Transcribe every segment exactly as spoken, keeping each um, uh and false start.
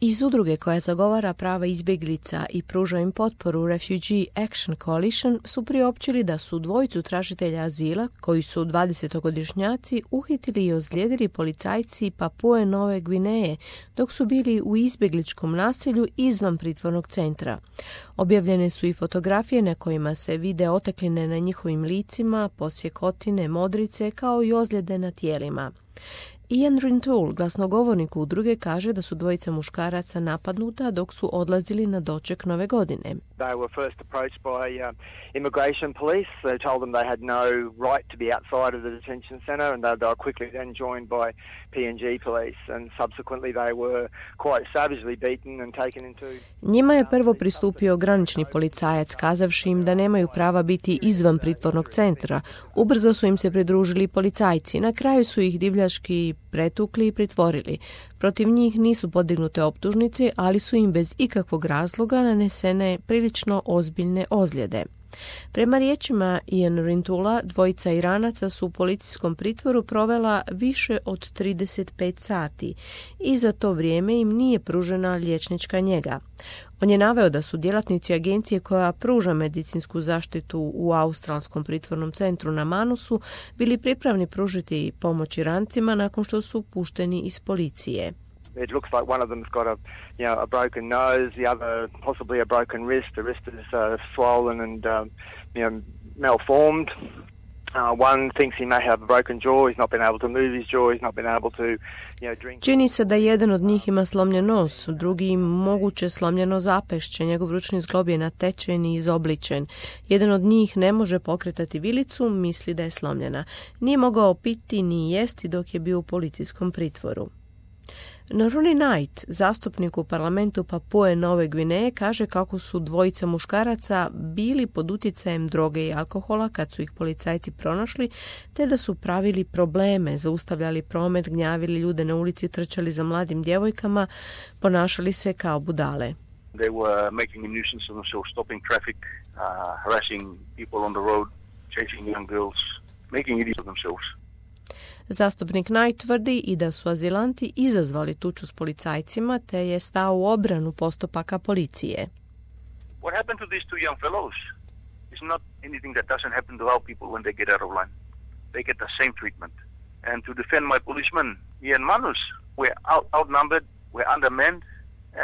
Iz udruge koja zagovara prava izbjeglica i pruža im potporu Refugee Action Coalition su priopćili da su dvojicu tražitelja azila, koji su dvadesetogodišnjaci, uhitili i ozlijedili policajci Papue Nove Gvineje dok su bili u izbjegličkom naselju izvan pritvornog centra. Objavljene su i fotografije na kojima se vide otekline na njihovim licima, posjekotine, modrice kao i ozljede na tijelima. Ian Rintoul, glasnogovornik udruge, kaže da su dvojica muškaraca napadnuta dok su odlazili na doček Nove godine. They were first approached by uh, immigration police. They told them they had no right to be outside of the detention center, and they, they were quickly then joined by P N G police, and subsequently they were quite savagely beaten and taken into... Njima je prvo pristupio granični policajac, kazavši im da nemaju prava biti izvan pritvornog centra. Ubrzo su im se pridružili policajci. Na kraju su ih divljački pretukli i pritvorili. Protiv njih nisu podignute optužnice, ali su im bez ikakvog razloga nanesene prilično ozbiljne ozljede. Prema riječima Ian Rintula, dvojica Iranaca su u policijskom pritvoru provela više od trideset pet sati i za to vrijeme im nije pružena liječnička njega. On je naveo da su djelatnici agencije koja pruža medicinsku zaštitu u australskom pritvornom centru na Manusu bili pripravni pružiti pomoć Irancima nakon što su pušteni iz policije. It looks like one of them's got a, you know, a broken nose, the other possibly a broken wrist. The wrist is uh, swollen and, um, you know, malformed. Uh, one thinks he may have a broken jaw. He's not been able to move his jaw. He's not been able to, you know, drink. Čini se da jedan od njih ima slomljen nos, drugi moguće slomljeno zapešće. Njegov ručni zglob je natečen i izobličen. Jedan od njih ne može pokretati vilicu, misli da je slomljena. Nije mogao piti ni jesti dok je bio u policijskom pritvoru. No Rooney Knight, zastupnik u parlamentu Papue Nove Gvineje, kaže kako su dvojica muškaraca bili pod utjecajem droge i alkohola kad su ih policajci pronašli, te da su pravili probleme, zaustavljali promet, gnjavili ljude na ulici, trčali za mladim djevojkama, ponašali se kao budale. They were making a nuisance of themselves, stopping traffic, uh, harassing people on the road, chasing young girls, making idiots of themselves. Zastupnik Knight tvrdi i da su azilanti izazvali tuču s policajcima, te je stao u obranu postupaka policije. What happened to these two young fellows is not anything that doesn't happen to our people when they get out of line. They get the same treatment. And to defend my policemen here in Manus, we're out, outnumbered, we're undermanned,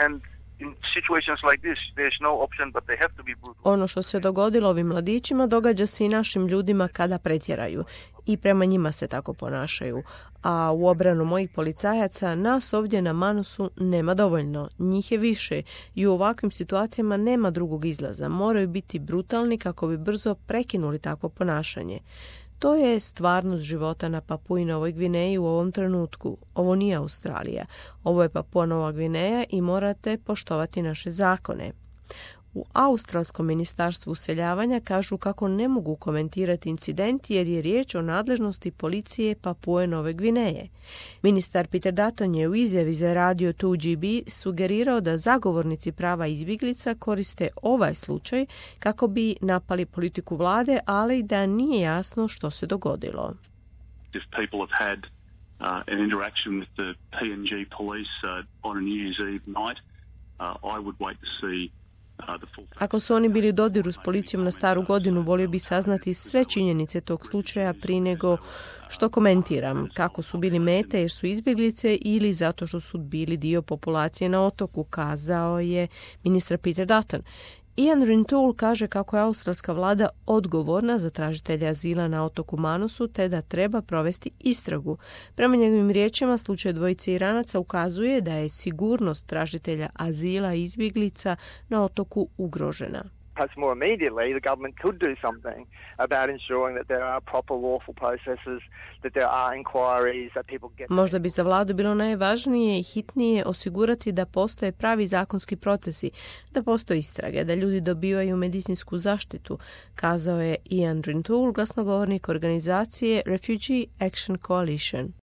and in situations like this, there's no option but they have to be brutal. Ono što se dogodilo ovim mladićima događa se i našim ljudima kada pretjeraju i prema njima se tako ponašaju. A u obranu mojih policajaca nas ovdje na Manusu nema dovoljno. Njih je više i u ovakvim situacijama nema drugog izlaza. Moraju biti brutalni kako bi brzo prekinuli takvo ponašanje. To je stvarnost života na Papui Novoj Gvineji u ovom trenutku. Ovo nije Australija. Ovo je Papua Nova Gvineja i morate poštovati naše zakone. U Australskom ministarstvu useljavanja kažu kako ne mogu komentirati incident jer je riječ o nadležnosti policije Papue Nove Gvineje. Ministar Peter Dutton je u izjavi za radio dva G B sugerirao da zagovornici prava izbjeglica koriste ovaj slučaj kako bi napali politiku vlade, ali da nije jasno što se dogodilo. If people have had uh, an interaction with the P N G police uh, on a New Year's Eve night, uh, I would wait to see. Ako su oni bili u dodiru s policijom na Staru godinu, volio bi saznati sve činjenice tog slučaja prije nego što komentiram kako su bili mete jer su izbjeglice ili zato što su bili dio populacije na otoku, kazao je ministar Peter Dutton. Ian Rintoul kaže kako je australska vlada odgovorna za tražitelja azila na otoku Manusu te da treba provesti istragu. Prema njegovim riječima, slučaj dvojice Iranaca ukazuje da je sigurnost tražitelja azila i izbjeglica na otoku ugrožena. Perhaps more immediately, the government could do something about ensuring that there are proper lawful processes, that there are inquiries, that people get... Možda bi za vladu bilo najvažnije i hitnije osigurati da postoje pravi zakonski procesi, da postoje istrage, da ljudi dobivaju medicinsku zaštitu, kazao je Ian Rintoul, glasnogovornik organizacije Refugee Action Coalition.